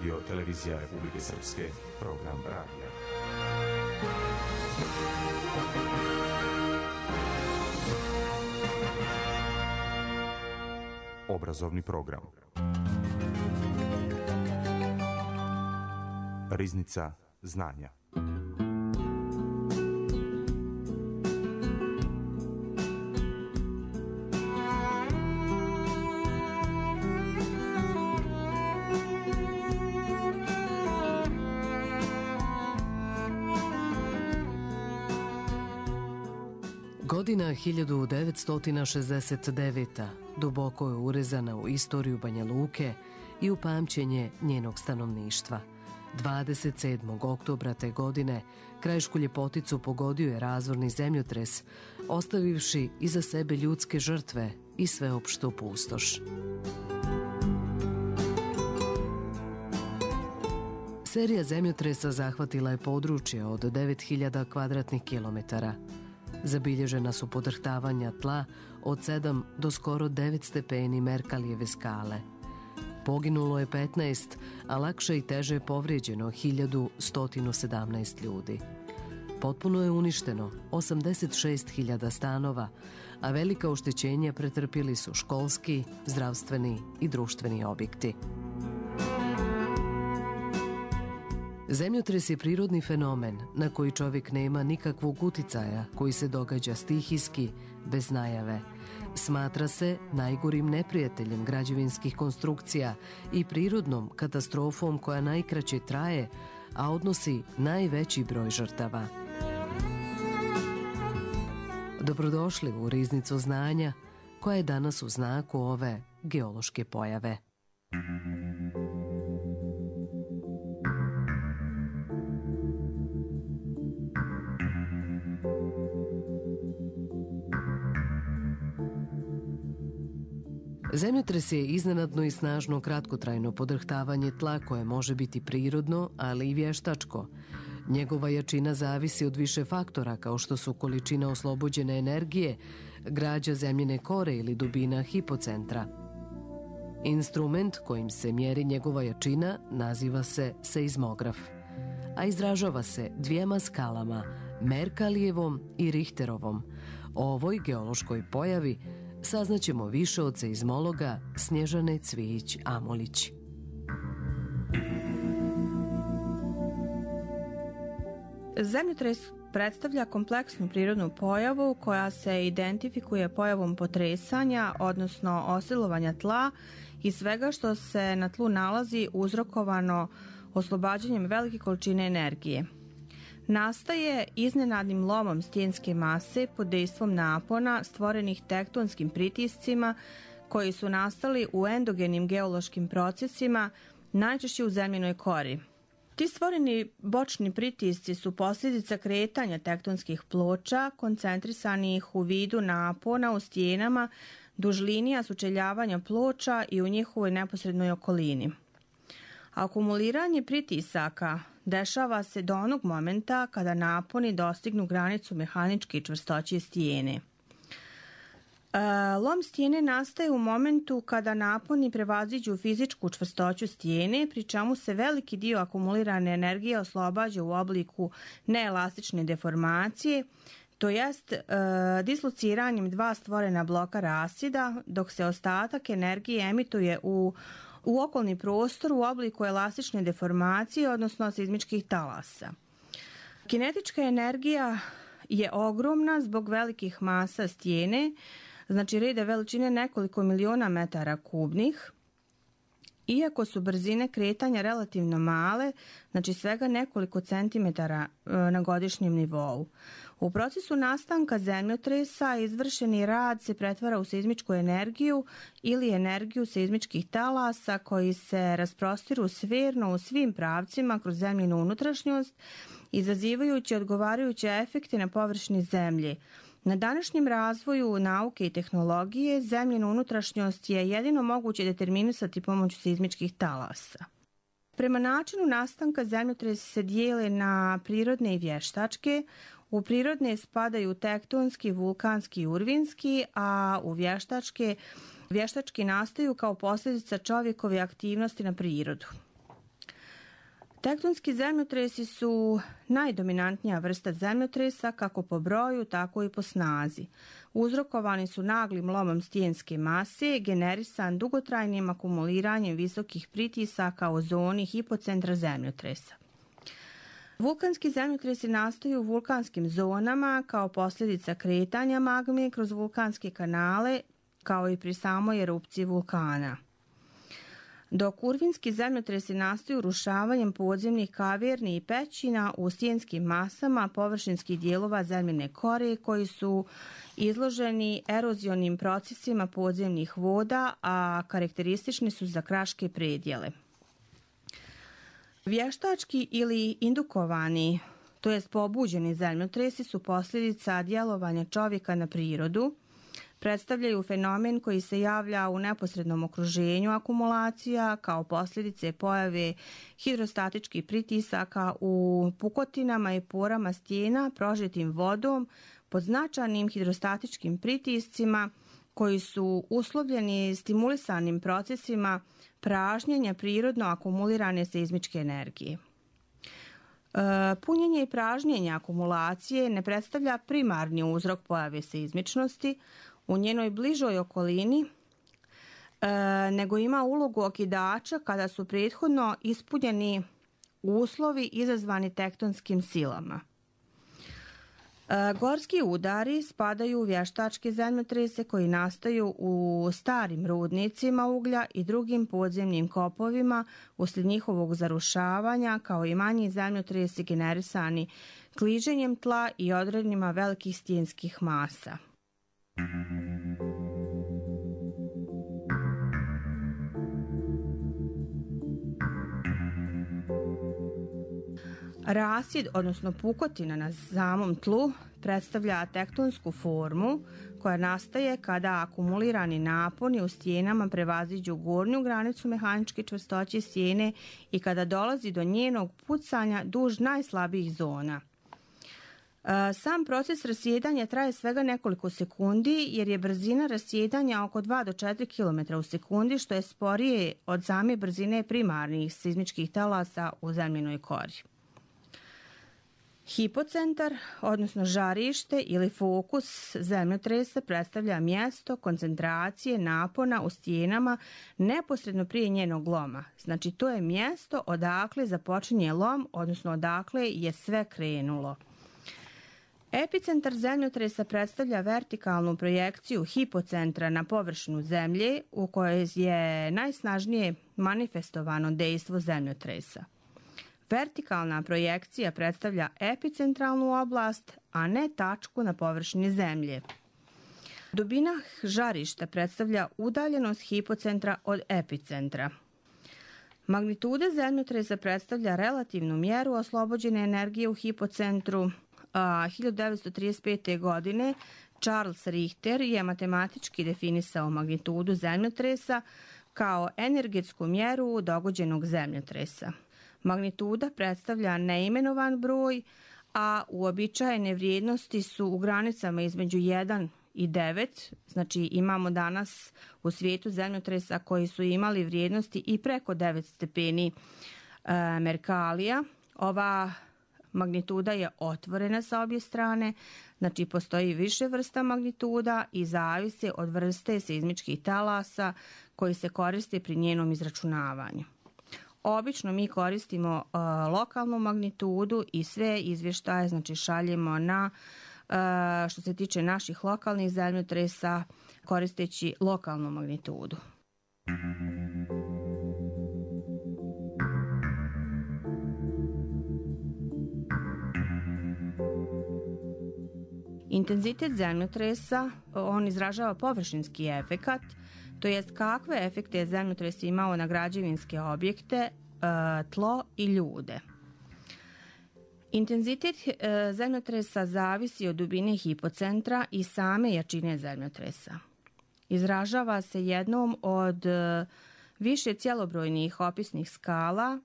Radio Televizija Republike Srpske, program radija. Obrazovni program. Riznica znanja. Godina 1969. duboko je urezana u istoriju Banja Luke i u pamćenje njenog stanovništva. 27. oktobra te godine krajišku ljepoticu pogodio je razorni zemljotres, ostavivši iza sebe ljudske žrtve i sveopštu pustoš. Serija zemljotresa zahvatila je područje od 9000 kvadratnih kilometara. Zabilježena su podrhtavanja tla od 7 do skoro 9 stepeni Merkalijeve skale. Poginulo je 15, a lakše i teže je povrijeđeno 1117 ljudi. Potpuno je uništeno 86.000 stanova, a velika oštećenja pretrpili su školski, zdravstveni i društveni objekti. Zemljotres je prirodni fenomen na koji čovjek nema nikakvog uticaja, koji se događa stihijski, bez najave. Smatra se najgorim neprijateljem građevinskih konstrukcija i prirodnom katastrofom koja najkraće traje, a odnosi najveći broj žrtava. Dobrodošli u Riznicu znanja, koja je danas u znaku ove geološke pojave. Zemljotres je iznenadno i snažno kratkotrajno podrhtavanje tla koje može biti prirodno, ali i vještačko. Njegova jačina zavisi od više faktora kao što su količina oslobođene energije, građa zemljine kore ili dubina hipocentra. Instrument kojim se mjeri njegova jačina naziva se seizmograf, a izražava se dvijema skalama, Merkalijevom i Richterovom. O ovoj geološkoj pojavi saznaćemo više od seizmologa Snježane Cvijić-Amolić. Zemljotres predstavlja kompleksnu prirodnu pojavu koja se identifikuje pojavom potresanja, odnosno osilovanja tla i svega što se na tlu nalazi uzrokovano oslobađanjem velike količine energije. Nastaje iznenadnim lomom stijenske mase pod dejstvom napona stvorenih tektonskim pritiscima koji su nastali u endogenim geološkim procesima, najčešće u zemljinoj kori. Ti stvoreni bočni pritisci su posljedica kretanja tektonskih ploča koncentrisanih u vidu napona u stijenama duž linija sučeljavanja ploča i u njihovoj neposrednoj okolini. Akumuliranje pritisaka dešava se do onog momenta kada naponi dostignu granicu mehaničke čvrstoće stijene. Lom stijene nastaje u momentu kada naponi prevaziđu fizičku čvrstoću stijene, pri čemu se veliki dio akumulirane energije oslobađa u obliku neelastične deformacije, to jest dislociranjem dva stvorena bloka rasida, dok se ostatak energije emituje u okolni prostor u obliku elastične deformacije, odnosno seizmičkih talasa. Kinetička energija je ogromna zbog velikih masa stijene, znači reda veličine nekoliko miliona metara kubnih, iako su brzine kretanja relativno male, znači svega nekoliko centimetara na godišnjem nivou. U procesu nastanka zemljotresa izvršeni rad se pretvara u seizmičku energiju ili energiju seizmičkih talasa koji se rasprostiru sferno u svim pravcima kroz zemljinu unutrašnjost, izazivajući odgovarajuće efekte na površini zemlje. Na današnjem razvoju nauke i tehnologije zemljinu unutrašnjost je jedino moguće determinisati pomoću seizmičkih talasa. Prema načinu nastanka zemljotresi se dijele na prirodne i vještačke. U prirodne spadaju tektonski, vulkanski i urvinski, a u vještački nastaju kao posljedica čovjekove aktivnosti na prirodu. Tektonski zemljotresi su najdominantnija vrsta zemljotresa kako po broju, tako i po snazi. Uzrokovani su naglim lomom stijenske mase, generisan dugotrajnim akumuliranjem visokih pritisaka u zoni hipocentra zemljotresa. Vulkanski zemljotresi nastaju u vulkanskim zonama kao posljedica kretanja magme kroz vulkanske kanale, kao i pri samoj erupciji vulkana. Dok urvinski zemljotresi nastaju urušavanjem podzemnih kaverni i pećina u stijenskim masama površinskih dijelova zemljine kore koji su izloženi erozionim procesima podzemnih voda, a karakteristični su za kraške predjele. Vještački ili indukovani, to jest pobuđeni zemljotresi su posljedica djelovanja čovjeka na prirodu, predstavljaju fenomen koji se javlja u neposrednom okruženju akumulacija kao posljedice pojave hidrostatičkih pritisaka u pukotinama i porama stijena prožetim vodom pod značajnim hidrostatičkim pritiscima koji su uslovljeni stimulisanim procesima pražnjenja prirodno akumulirane seizmičke energije. Punjenje i pražnjenje akumulacije ne predstavlja primarni uzrok pojave seizmičnosti u njenoj bližoj okolini, nego ima ulogu okidača kada su prethodno ispunjeni uslovi izazvani tektonskim silama. Gorski udari spadaju u vještačke zemljotrese koji nastaju u starim rudnicima uglja i drugim podzemnim kopovima uslijed njihovog zarušavanja, kao i manji zemljotresi generisani kliženjem tla i odrednjima velikih stijenskih masa. Rasjed, odnosno pukotina na samom tlu, predstavlja tektonsku formu koja nastaje kada akumulirani naponi u stijenama prevaziđu gornju granicu mehaničke čvrstoće stijene i kada dolazi do njenog pucanja duž najslabijih zona. Sam proces rasjedanja traje svega nekoliko sekundi jer je brzina rasjedanja oko 2 do 4 km u sekundi, što je sporije od same brzine primarnih seizmičkih talasa u zemljinoj kori. Hipocentar, odnosno žarište ili fokus zemljotresa predstavlja mjesto koncentracije napona u stijenama neposredno prije njenog loma. Znači to je mjesto odakle započinje lom, odnosno odakle je sve krenulo. Epicentar zemljotresa predstavlja vertikalnu projekciju hipocentra na površinu zemlje u kojoj je najsnažnije manifestovano dejstvo zemljotresa. Vertikalna projekcija predstavlja epicentralnu oblast, a ne tačku na površini zemlje. Dubina žarišta predstavlja udaljenost hipocentra od epicentra. Magnituda zemljotresa predstavlja relativnu mjeru oslobođene energije u hipocentru. 1935. godine Charles Richter je matematički definisao magnitudu zemljotresa kao energetsku mjeru dogođenog zemljotresa. Magnituda predstavlja neimenovan broj, a uobičajene vrijednosti su u granicama između 1 i 9. Znači imamo danas u svijetu zemljotresa koji su imali vrijednosti i preko 9 stepeni Merkalija. Ova magnituda je otvorena sa obje strane, znači postoji više vrsta magnituda i zavisi od vrste seizmičkih talasa koji se koriste pri njenom izračunavanju. Obično mi koristimo lokalnu magnitudu i sve izvještaje znači šaljemo na, što se tiče naših lokalnih zemljotresa, koristeći lokalnu magnitudu. Intenzitet zemljotresa, on izražava površinski efekat, to jest kakve efekte je zemljotres imao na građevinske objekte, tlo i ljude. Intenzitet zemljotresa zavisi od dubine hipocentra i same jačine zemljotresa. Izražava se jednom od više cjelobrojnih opisnih skala,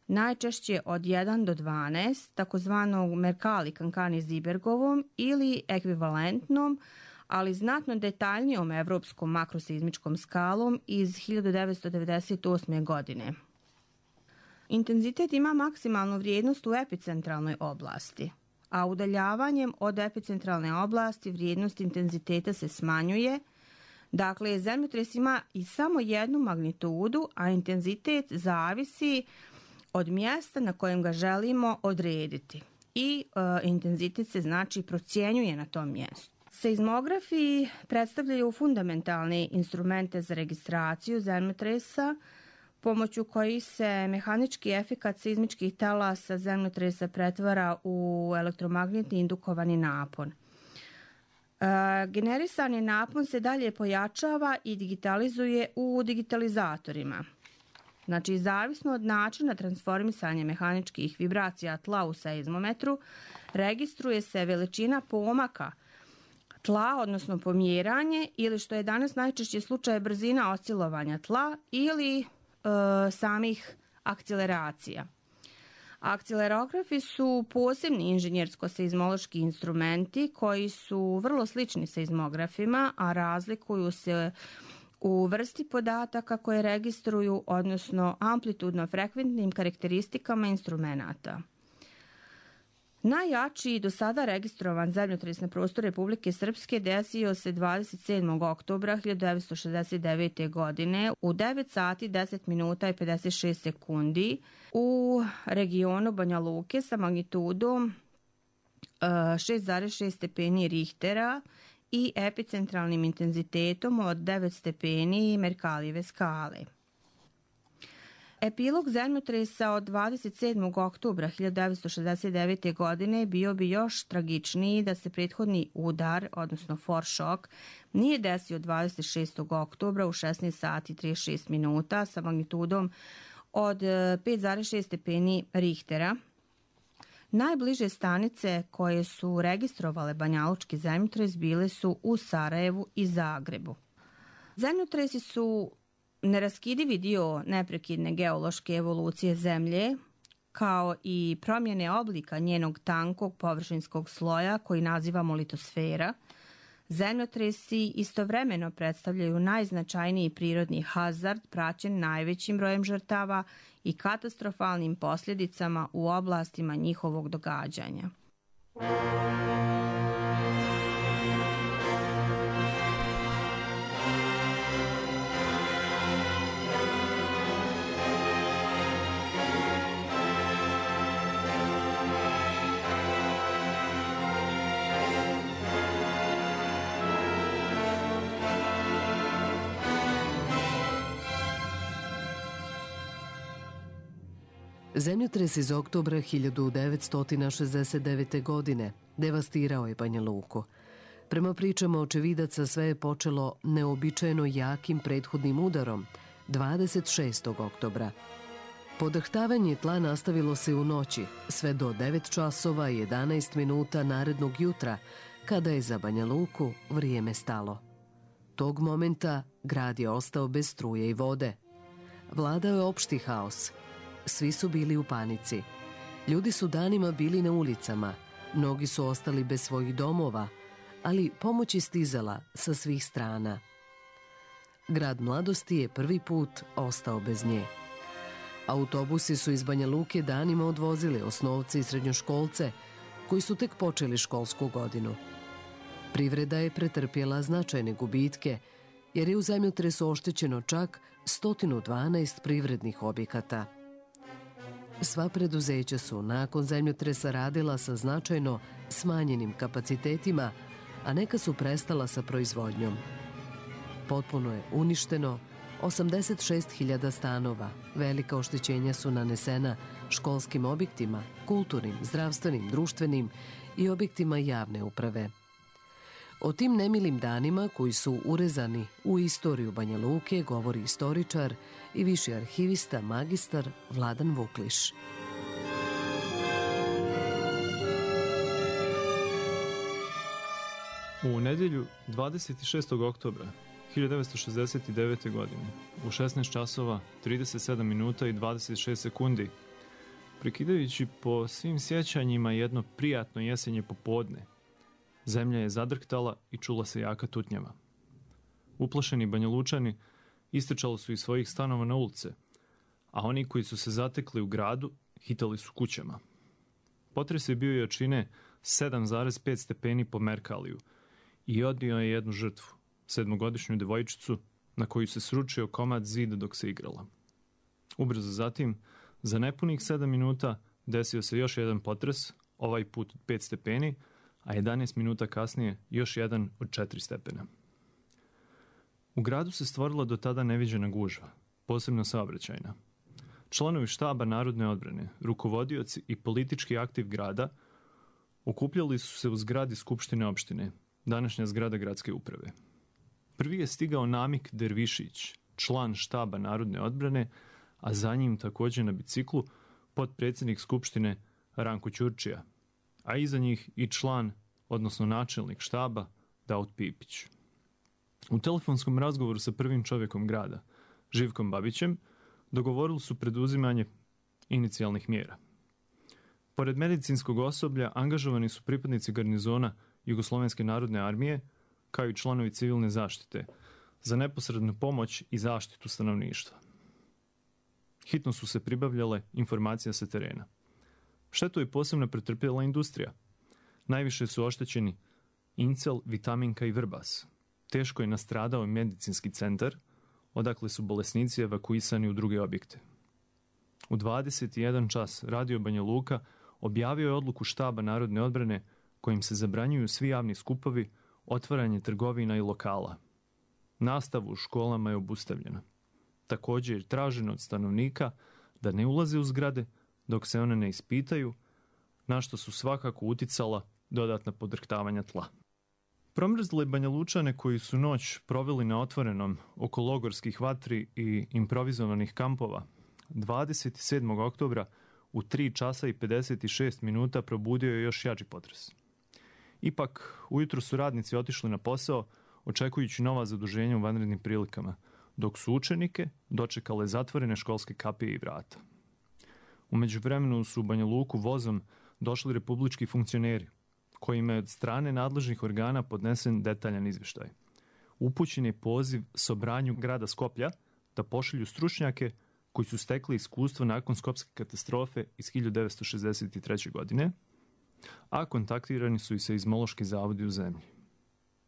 najčešće od 1 do 12, takozvanog Mercalli-Cancani-Zibergovom ili ekvivalentnom, ali znatno detaljnijom evropskom makroseizmičkom skalom iz 1998. godine. Intenzitet ima maksimalnu vrijednost u epicentralnoj oblasti, a udaljavanjem od epicentralne oblasti vrijednost intenziteta se smanjuje. Dakle, zemljotres ima i samo jednu magnitudu, a intenzitet zavisi od mjesta na kojem ga želimo odrediti. I intenzitet se znači procjenjuje na tom mjestu. Seizmografi predstavljaju fundamentalne instrumente za registraciju zemljotresa, pomoću kojih se mehanički efekat seizmičkih talasa zemljotresa pretvara u elektromagnetni indukovani napon. Generisani napon se dalje pojačava i digitalizuje u digitalizatorima. Znači, zavisno od načina transformisanja mehaničkih vibracija tla u seizmometru, registruje se veličina pomaka tla, odnosno pomjeranje, ili što je danas najčešće slučaj brzina oscilovanja tla ili samih akceleracija. Akcelerografi su posebni inženjersko-seizmološki instrumenti koji su vrlo slični seizmografima, a razlikuju se u vrsti podataka koje registruju, odnosno amplitudno-frekventnim karakteristikama instrumenata. Najjači do sada registrovan zemljotres na prostoru Republike Srpske desio se 27. oktobra 1969. godine u 9 sati 10 minuta i 56 sekundi u regionu Banja Luke sa magnitudom 6,6 stepeni Richtera i epicentralnim intenzitetom od 9 stepeni Merkalijeve skale. Epilog zemljotresa od 27. oktobra 1969. godine bio bi još tragičniji da se prethodni udar, odnosno foršok, nije desio 26. oktobra u 16 sati 36 minuta sa magnitudom od 5,6 stepeni Richtera. Najbliže stanice koje su registrovale banjalučki zemljotres bile su u Sarajevu i Zagrebu. Zemljotresi su neraskidivi dio neprekidne geološke evolucije Zemlje, kao i promjene oblika njenog tankog površinskog sloja koji nazivamo litosfera. Zemljotresi istovremeno predstavljaju najznačajniji prirodni hazard praćen najvećim brojem žrtava i katastrofalnim posljedicama u oblastima njihovog događanja. Zemljotres iz oktobra 1969. godine devastirao je Banja Luku. Prema pričama očevidaca sve je počelo neobičajeno jakim prethodnim udarom 26. oktobra. Podrhtavanje tla nastavilo se u noći sve do 9 časova i 11 minuta narednog jutra, kada je za Banja Luku vrijeme stalo. Tog momenta grad je ostao bez struje i vode. Vladao je opšti haos. Svi su bili u panici. Ljudi su danima bili na ulicama, mnogi su ostali bez svojih domova, ali pomoć je stizala sa svih strana. Grad mladosti je prvi put ostao bez nje. Autobusi su iz Banja Luke danima odvozili osnovce i srednjoškolce koji su tek počeli školsku godinu. Privreda je pretrpjela značajne gubitke jer je u zemljotresu oštećeno čak 112 privrednih objekata. Sva preduzeća su nakon zemljotresa radila sa značajno smanjenim kapacitetima, a neka su prestala sa proizvodnjom. Potpuno je uništeno 86.000 stanova. Velika oštećenja su nanesena školskim objektima, kulturnim, zdravstvenim, društvenim i objektima javne uprave. O tim nemilim danima koji su urezani u istoriju Banja Luke govori istoričar i viši arhivista magistar Vladan Vukliš. U nedjelju 26. oktobra 1969. godine u 16 časova 37 minuta i 26 sekundi, prekidajući po svim sjećanjima jedno prijatno jesenje popodne, zemlja je zadrhtala i čula se jaka tutnjava. Uplašeni Banjalučani istrčali su iz svojih stanova na ulice, a oni koji su se zatekli u gradu hitali su kućama. Potres je bio jačine 7,5 stepeni po Merkaliju i odnio je jednu žrtvu, 7-godišnju devojčicu na koju se sručio komad zida dok se igrala. Ubrzo zatim, za nepunih 7 minuta desio se još jedan potres, ovaj put od 5 stepeni, a 11 minuta kasnije još jedan od 4 stepena. U gradu se stvorila do tada neviđena gužva, posebno saobraćajna. Članovi štaba Narodne odbrane, rukovodioci i politički aktiv grada okupljali su se u zgradi Skupštine opštine, današnja zgrada gradske uprave. Prvi je stigao Namik Dervišić, član štaba Narodne odbrane, a za njim također na biciklu potpredsjednik Skupštine Ranko Ćurčija, a iza njih i član, odnosno načelnik štaba Daud Pipić. U telefonskom razgovoru sa prvim čovjekom grada, Živkom Babićem, dogovorili su preduzimanje inicijalnih mjera. Pored medicinskog osoblja angažovani su pripadnici garnizona Jugoslovenske narodne armije, kao i članovi civilne zaštite, za neposrednu pomoć i zaštitu stanovništva. Hitno su se pribavljale informacije sa terena. Štetu je posebno pretrpjela industrija. Najviše su oštećeni Incel, Vitaminka i Vrbas. Teško je nastradao i medicinski centar, odakle su bolesnici evakuisani u druge objekte. U 21 čas Radio Banja Luka objavio je odluku štaba Narodne odbrane kojim se zabranjuju svi javni skupovi, otvaranje trgovina i lokala. Nastava u školama je obustavljena. Također je traženo od stanovnika da ne ulaze u zgrade dok se one ne ispitaju, na što su svakako uticala dodatna podrhtavanja tla. Promrzle Banja Lučane koji su noć proveli na otvorenom oko logorskih vatri i improvizovanih kampova, 27. oktobra u 3 časa i 56 minuta probudio je još jači potres. Ipak, ujutro su radnici otišli na posao, očekujući nova zaduženja u vanrednim prilikama, dok su učenike dočekale zatvorene školske kapije i vrata. U međuvremenu su u Banja Luku vozom došli republički funkcioneri, kojima je od strane nadležnih organa podnesen detaljan izvještaj. Upućen je poziv Sobranju grada Skoplja da pošalju stručnjake koji su stekli iskustvo nakon skopske katastrofe iz 1963. godine, a kontaktirani su i seizmološki zavodi u zemlji.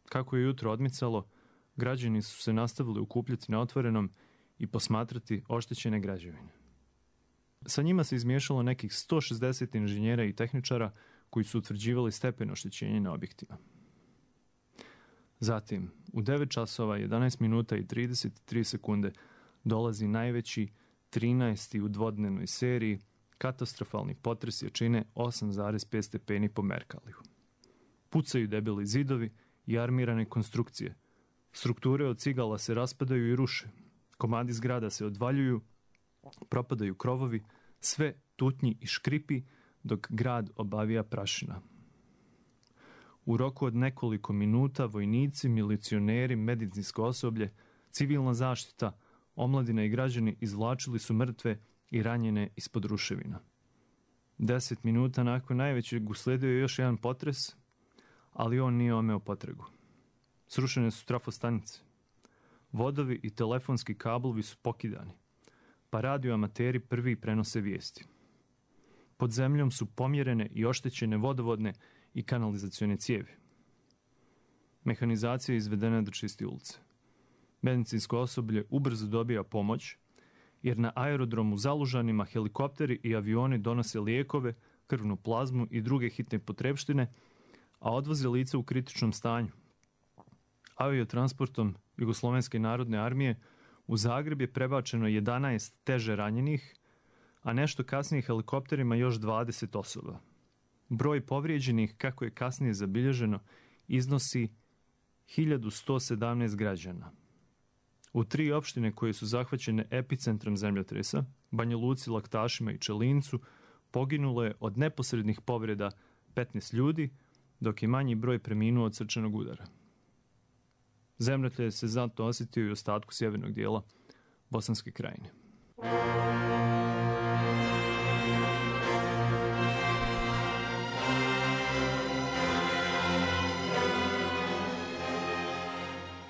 Kako je jutro odmicalo, građani su se nastavili okupljati na otvorenom i posmatrati oštećene građevine. Sa njima se izmiješalo nekih 160 inženjera i tehničara koji su utvrđivali stepen oštećenja na objektima. Zatim, u 9 časova, 11 minuta i 33 sekunde dolazi najveći 13. u dvodnevnoj seriji katastrofalni potres jačine 8,5 stepeni po Merkaliju. Pucaju debeli zidovi i armirane konstrukcije. Strukture od cigala se raspadaju i ruše. Komadi zgrada se odvaljuju, propadaju krovovi, sve tutnji i škripi dok grad obavija prašina. U roku od nekoliko minuta vojnici, milicioneri, medicinsko osoblje, civilna zaštita, omladina i građani izvlačili su mrtve i ranjene ispod ruševina. 10 minuta nakon najvećeg usledio je još jedan potres, ali on nije omeo potragu. Srušene su trafostanice. Vodovi i telefonski kablovi su pokidani, pa radioamateri prvi prenose vijesti. Pod zemljom su pomjerene i oštećene vodovodne i kanalizacione cijevi. Mehanizacija je izvedena da čisti ulice. Medicinsko osoblje ubrzo dobija pomoć, jer na aerodromu Zalužanima helikopteri i avioni donose lijekove, krvnu plazmu i druge hitne potrepštine, a odvoze lica u kritičnom stanju. Aviotransportom Jugoslovenske narodne armije u Zagreb je prebačeno 11 teže ranjenih, a nešto kasnije helikopterima još 20 osoba. Broj povrijeđenih, kako je kasnije zabilježeno, iznosi 1117 građana. U 3 opštine koje su zahvaćene epicentrom zemljotresa, Banja Luci, Laktašima i Čelincu, poginulo je od neposrednih povreda 15 ljudi, dok je manji broj preminuo od srčanog udara. Zemljotres se zato osjetio i u ostatku sjevernog dijela Bosanske krajine.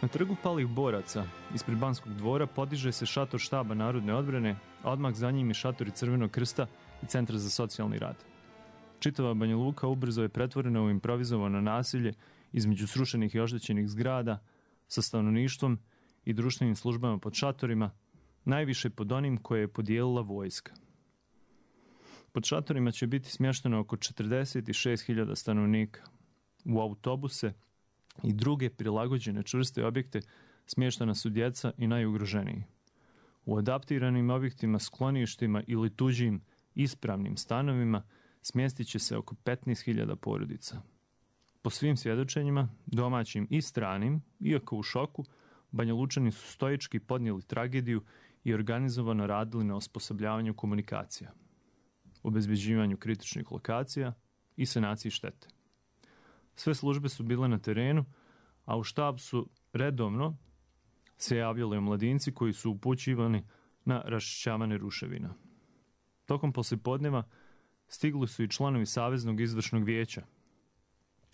Na Na trgu palih boraca, ispred Banskog dvora, podiže se šator štaba Narodne odbrane, a odmah za njim je šatori Crvenog krsta i Centra za socijalni rad. Čitava Banja Luka ubrzo je pretvorena u improvizovano nasilje između srušenih i oštećenih zgrada, sa stanovništvom i društvenim službama pod šatorima, najviše pod onim koje je podijelila vojska. Pod šatorima će biti smješteno oko 46.000 stanovnika. U autobuse i druge prilagođene čvrste objekte smještena su djeca i najugroženiji. U adaptiranim objektima, skloništima ili tuđim ispravnim stanovima smjestit će se oko 15.000 porodica. Po svim svjedočenjima, domaćim i stranim, iako u šoku, Banja Lučani su stoički podnijeli tragediju i organizovano radili na osposobljavanju komunikacija, obezbeđivanju kritičnih lokacija i sanaciji štete. Sve službe su bile na terenu, a u štab su redovno se javljali omladinci koji su upućivani na raščišćavanje ruševina. Tokom poslijepodneva stigli su i članovi Saveznog izvršnog vijeća.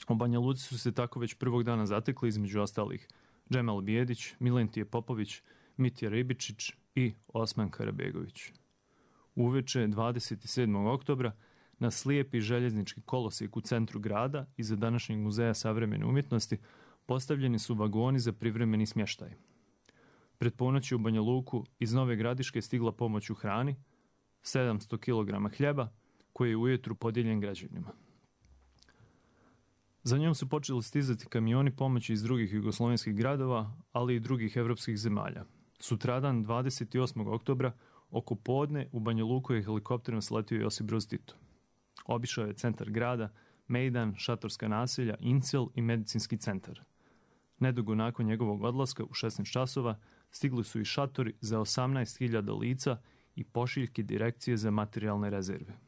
U Banja Luci su se tako već prvog dana zatekli, između ostalih, Džemal Bijedić, Milentije Popović, Mitja Ribičić i Osman Karabegović. Uveče 27. oktobra na slijepi željeznički kolosijek u centru grada iza današnjeg muzeja savremene umjetnosti postavljeni su vagoni za privremeni smještaj. Pred ponoći u Banja Luku iz Nove Gradiške stigla pomoć u hrani, 700 kg hljeba, koji je ujetru podijeljen građanima. Za njom su počeli stizati kamioni pomoći iz drugih jugoslovenskih gradova, ali i drugih evropskih zemalja. Sutradan, 28. oktobra, oko podne u Banja Luku je helikopterom sletio Josip Broz Tito. Obišao je centar grada, Mejdan, šatorska naselja, Incel i medicinski centar. Nedugo nakon njegovog odlaska u 16 časova stigli su i šatori za 18.000 lica i pošiljke direkcije za materijalne rezerve.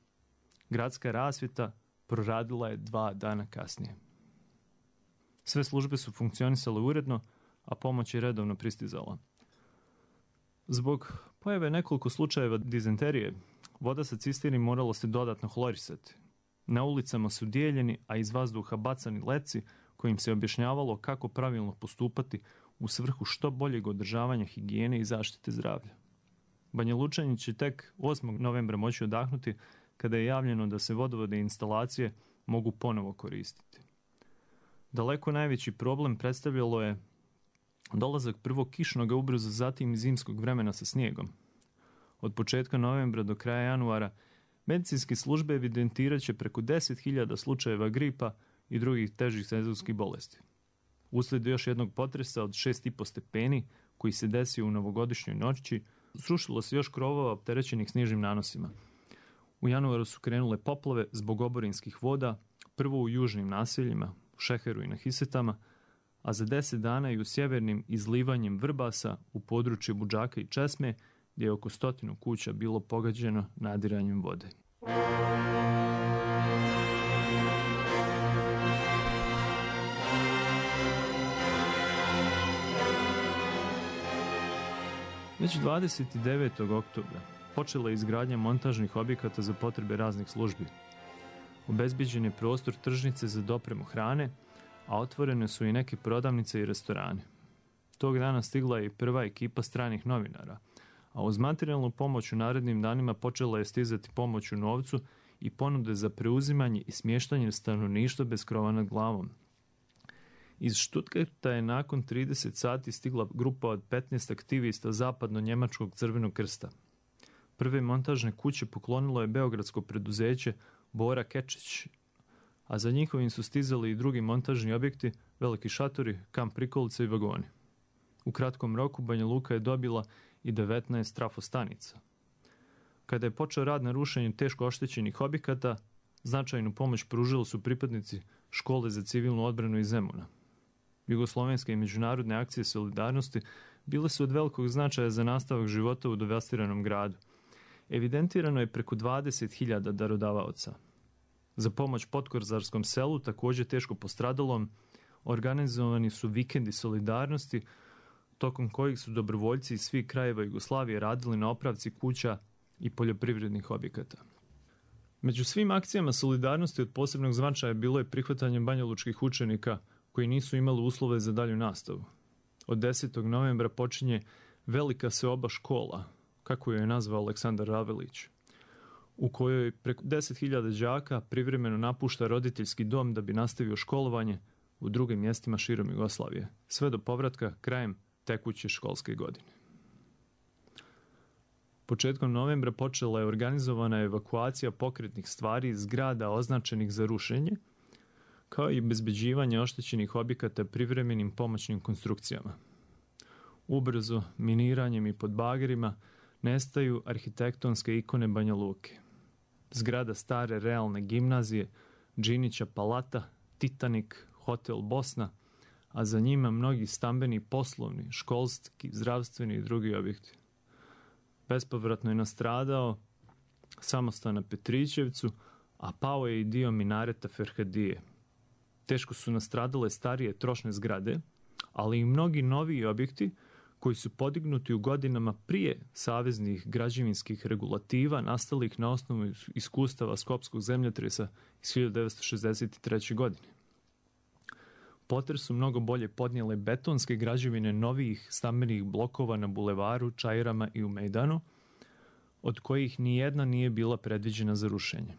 Gradska rasvjeta proradila je 2 dana kasnije. Sve službe su funkcionisale uredno, a pomoć je redovno pristizala. Zbog pojave nekoliko slučajeva dizenterije, voda sa cisterni morala se dodatno hlorisati. Na ulicama su dijeljeni, a iz vazduha bacani letci kojim se objašnjavalo kako pravilno postupati u svrhu što boljeg održavanja higijene i zaštite zdravlja. Banja Lučani će tek 8. novembra moći odahnuti kada je javljeno da se vodovode i instalacije mogu ponovo koristiti. Daleko najveći problem predstavljalo je dolazak prvog kišnog, a ubrzo zatim i zimskog vremena sa snijegom. Od početka novembra do kraja januara medicinske službe evidentirat će preko 10.000 slučajeva gripa i drugih težih sezonskih bolesti. Uslijed još jednog potresa od 6,5 stepeni koji se desio u novogodišnjoj noći, srušilo se još krovova opterećenih snižnim nanosima. U januaru su krenule poplave zbog oborinskih voda, prvo u južnim naseljima, u Šeheru i na Hisetama, a za 10 dana i u sjevernim izlivanjem Vrbasa u području Budžaka i Česme, gdje je oko 100 kuća bilo pogađeno nadiranjem vode. Već 29. oktobra počela je izgradnja montažnih objekata za potrebe raznih službi. Obezbeđen je prostor tržnice za dopremu hrane, a otvorene su i neke prodavnice i restorane. Tog dana stigla je i prva ekipa stranih novinara, a uz materijalnu pomoć u narednim danima počela je stizati pomoć u novcu i ponude za preuzimanje i smještanje stanovništva bez krova nad glavom. Iz Stuttgarta je nakon 30 sati stigla grupa od 15 aktivista zapadno-njemačkog Crvenog krsta. Prve montažne kuće poklonilo je beogradsko preduzeće Bora Kečić, a za njihovim su stizali i drugi montažni objekti, veliki šatori, kamp prikolice i vagoni. U kratkom roku Banja Luka je dobila i 19 trafostanica. Kada je počeo rad na rušenju teško oštećenih objekata, značajnu pomoć pružili su pripadnici škole za civilnu odbranu iz Zemuna. Jugoslovenske i međunarodne akcije solidarnosti bile su od velikog značaja za nastavak života u devastiranom gradu. Evidentirano je preko 20.000 darodavaoca. Za pomoć Potkorzarskom selu, također teško postradalom, organizovani su vikendi solidarnosti, tokom kojih su dobrovoljci iz svih krajeva Jugoslavije radili na opravci kuća i poljoprivrednih objekata. Među svim akcijama solidarnosti od posebnog značaja bilo je prihvatanje banjalučkih učenika koji nisu imali uslove za dalju nastavu. Od 10. novembra počinje velika seoba škola, kako je nazvao Aleksandar Ravelić, u kojoj preko 10.000 đaka privremeno napušta roditeljski dom da bi nastavio školovanje u drugim mjestima širom Jugoslavije, sve do povratka krajem tekuće školske godine. Početkom novembra počela je organizovana evakuacija pokretnih stvari iz zgrada označenih za rušenje, kao i obezbeđivanje oštećenih objekata privremenim pomoćnim konstrukcijama. Ubrzo, miniranjem i pod bagerima, nestaju arhitektonske ikone Banja Luke. Zgrada stare realne gimnazije, Džinića palata, Titanik, Hotel Bosna, a za njima mnogi stambeni, poslovni, školski, zdravstveni i drugi objekti. Bespovratno je nastradao samostan na Petrićevcu, a pao je i dio minareta Ferhadije. Teško su nastradale starije trošne zgrade, ali i mnogi noviji objekti koji su podignuti u godinama prije saveznih građevinskih regulativa nastalih na osnovu iskustava skopskog zemljotresa iz 1963. godine. Potres su mnogo bolje podnijele betonske građevine novijih stambenih blokova na bulevaru, Čajrama i u Mejdanu, od kojih nijedna nije bila predviđena za rušenje.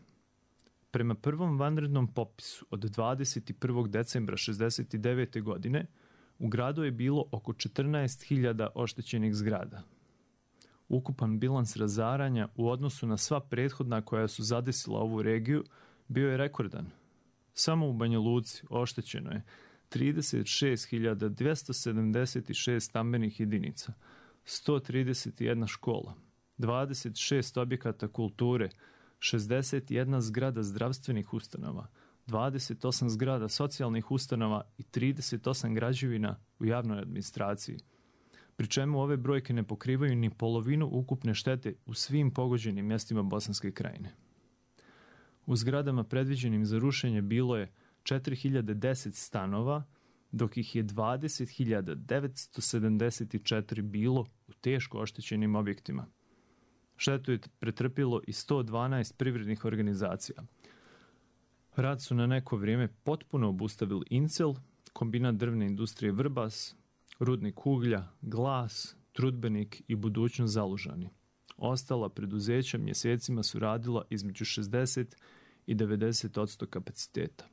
Prema prvom vanrednom popisu od 21. decembra 1969. godine u gradu je bilo oko 14.000 oštećenih zgrada. Ukupan bilans razaranja u odnosu na sva prethodna koja su zadesila ovu regiju bio je rekordan. Samo u Banja Luci oštećeno je 36.276 stambenih jedinica, 131 škola, 26 objekata kulture, 61 zgrada zdravstvenih ustanova, 28 zgrada socijalnih ustanova i 38 građevina u javnoj administraciji, pri čemu ove brojke ne pokrivaju ni polovinu ukupne štete u svim pogođenim mjestima Bosanske krajine. U zgradama predviđenim za rušenje bilo je 4.010 stanova, dok ih je 20.974 bilo u teško oštećenim objektima. Štetu je pretrpilo i 112 privrednih organizacija. Rad su na neko vrijeme potpuno obustavili Incel, kombinat drvne industrije Vrbas, rudnik uglja, Glas, Trudbenik i budućnost Zalužani. Ostala preduzeća mjesecima su radila između 60 i 90% kapaciteta.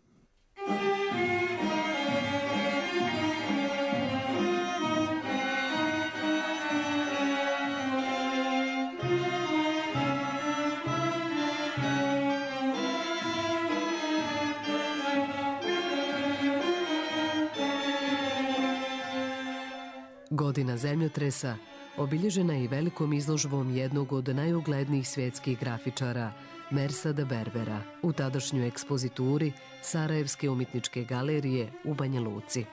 Godina zemljotresa obilježena je i velikom izložbom jednog od najuglednijih svjetskih grafičara, Mersada Berbera, u tadašnjoj ekspozituri Sarajevske umjetničke galerije u Banja Luci.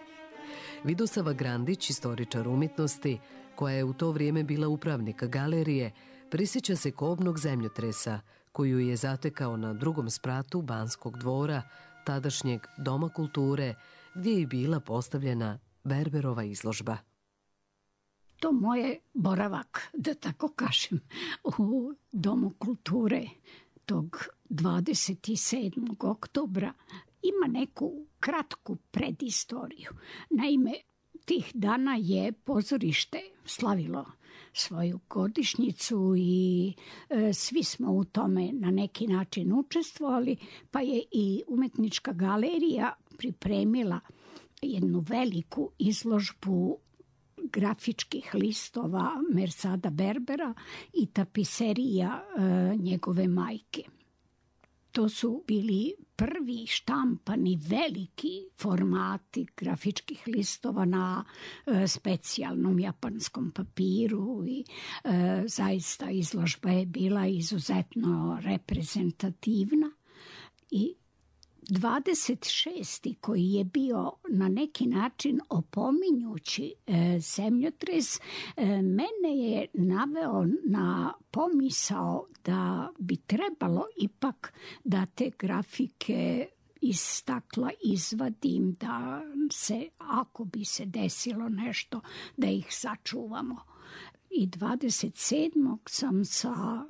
Vidosava Grandić, istoričar umjetnosti, koja je u to vrijeme bila upravnik galerije, prisjeća se kobnog zemljotresa koju je zatekao na drugom spratu Banskog dvora, tadašnjeg Doma kulture, gdje je bila postavljena Berberova izložba. To moje boravak, da tako kažem, u Domu kulture tog 27. oktobra ima neku kratku predistoriju. Naime, tih dana je pozorište slavilo svoju godišnjicu i svi smo u tome na neki način učestvovali, pa je i umjetnička galerija pripremila jednu veliku izložbu grafičkih listova Mersada Berbera i tapiserija njegove majke. To su bili prvi štampani veliki formati grafičkih listova na specijalnom japanskom papiru i zaista izložba je bila izuzetno reprezentativna i 26. koji je bio na neki način opominjući zemljotres, mene je naveo na pomisao da bi trebalo ipak da te grafike iz stakla izvadim, da se, ako bi se desilo nešto, da ih sačuvamo. I 27. sam sa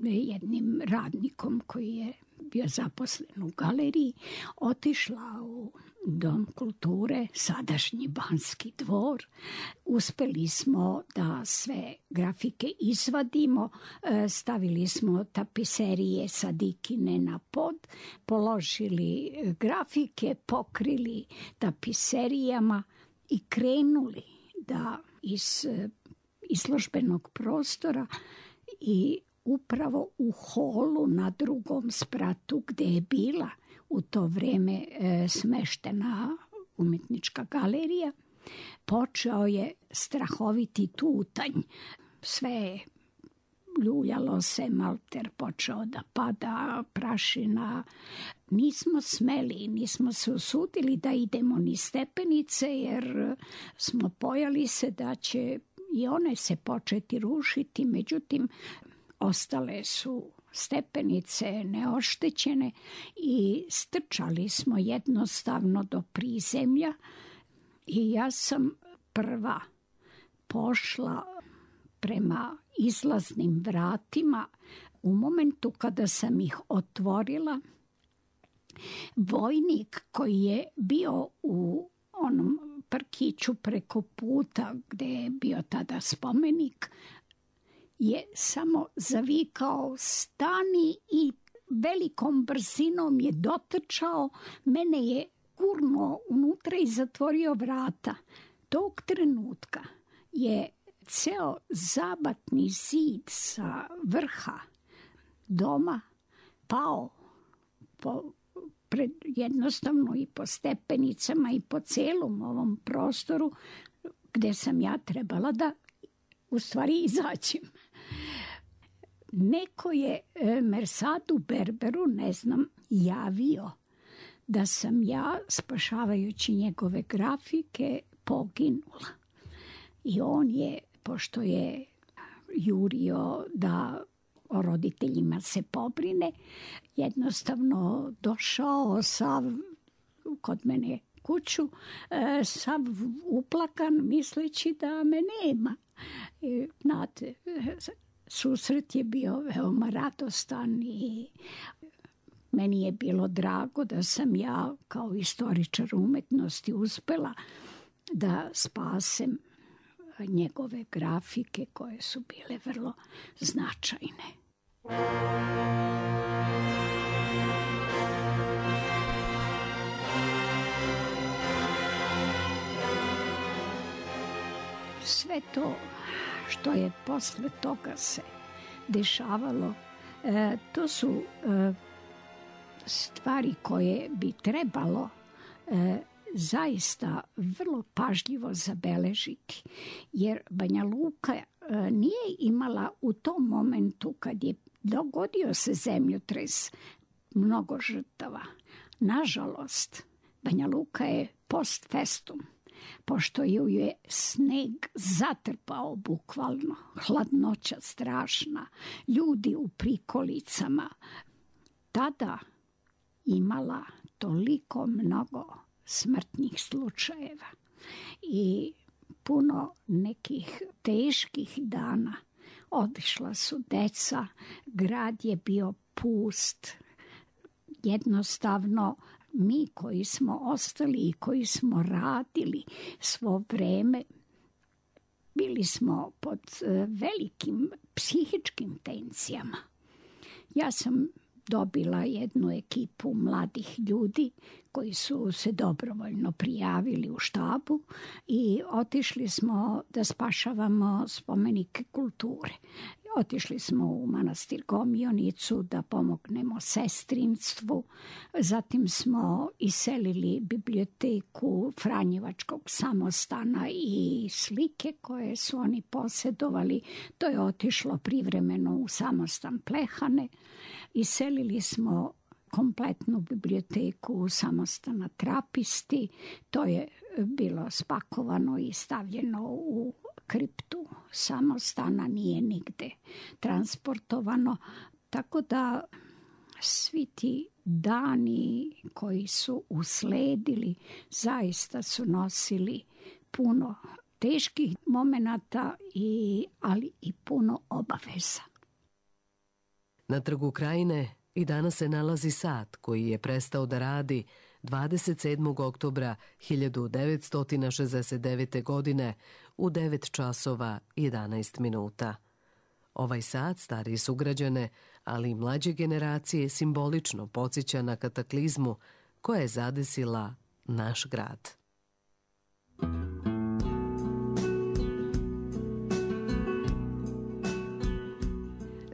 jednim radnikom koji je bio zaposlen u galeriji, otišla u Dom kulture, sadašnji Banski dvor. Uspeli smo da sve grafike izvadimo, stavili smo tapiserije sa Dikine na pod, položili grafike, pokrili tapiserijama i krenuli da iz izložbenog prostora i upravo u holu na drugom spratu gde je bila u to vreme smeštena umetnička galerija, počeo je strahoviti tutanj. Sve je ljuljalo se, malter počeo da pada, prašina. Nismo smeli, nismo se usudili da idemo ni stepenice, jer smo bojali se da će i one se početi rušiti. Međutim, ostale su stepenice neoštećene i strčali smo jednostavno do prizemlja i ja sam prva pošla prema izlaznim vratima. U momentu kada sam ih otvorila, vojnik koji je bio u onom parkiću preko puta gde je bio tada spomenik je samo zavikao stani i velikom brzinom je dotrčao, mene je gurnuo unutra i zatvorio vrata. Tog trenutka je ceo zabatni zid sa vrha doma pao jednostavno i po stepenicama i po celom ovom prostoru gde sam ja trebala da u stvari izađem. Neko je Mersadu Berberu, ne znam, javio da sam ja, spašavajući njegove grafike, poginula. I on je, pošto je jurio da o roditeljima se pobrine, jednostavno došao sav kod mene kuću, sav uplakan, misleći da me nema. Znate, susret je bio veoma radostan i meni je bilo drago da sam ja kao istoričar umetnosti uspela da spasem njegove grafike koje su bile vrlo značajne. Sve to što je posle toga se dešavalo, to su stvari koje bi trebalo zaista vrlo pažljivo zabeležiti, jer Banja Luka nije imala u tom momentu kad je dogodio se zemljotres mnogo žrtava. Nažalost, Banja Luka je post festum, pošto ju je sneg zatrpao bukvalno, hladnoća strašna, ljudi u prikolicama, tada imala toliko mnogo smrtnih slučajeva i puno nekih teških dana. Otišla su deca, grad je bio pust. Jednostavno, mi koji smo ostali i koji smo radili svo vreme, bili smo pod velikim psihičkim tenzijama. Ja sam dobila jednu ekipu mladih ljudi koji su se dobrovoljno prijavili u štabu i otišli smo da spašavamo spomenike kulture. Otišli smo u manastir Gomionicu da pomognemo sestrinstvu, zatim smo iselili biblioteku Franjevačkog samostana i slike koje su oni posjedovali. To je otišlo privremeno u samostan Plehane. Iselili smo kompletnu biblioteku samostana Trapisti. To je bilo spakovano i stavljeno u kriptu samostana, nije nigde transportovano. Tako da svi ti dani koji su usledili zaista su nosili puno teških momenata, ali i puno obaveza. Na Trgu Krajine i danas se nalazi sat koji je prestao da radi 27. oktobra 1969. godine u 9 časova 11 minuta. Ovaj sat stariji sugrađane, ali i mlađe generacije simbolično podsjeća na kataklizmu koja je zadesila naš grad.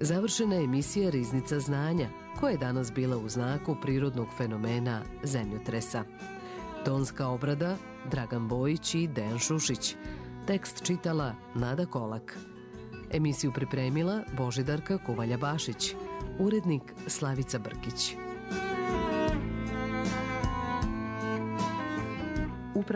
Završena je emisija Riznica znanja, koja je danas bila u znaku prirodnog fenomena zemljotresa. Tonska obrada Dragan Bojić i Dejan Šušić. Tekst čitala Nada Kolak. Emisiju pripremila Božidarka Kovalja-Bašić. Urednik Slavica Brkić. Upravo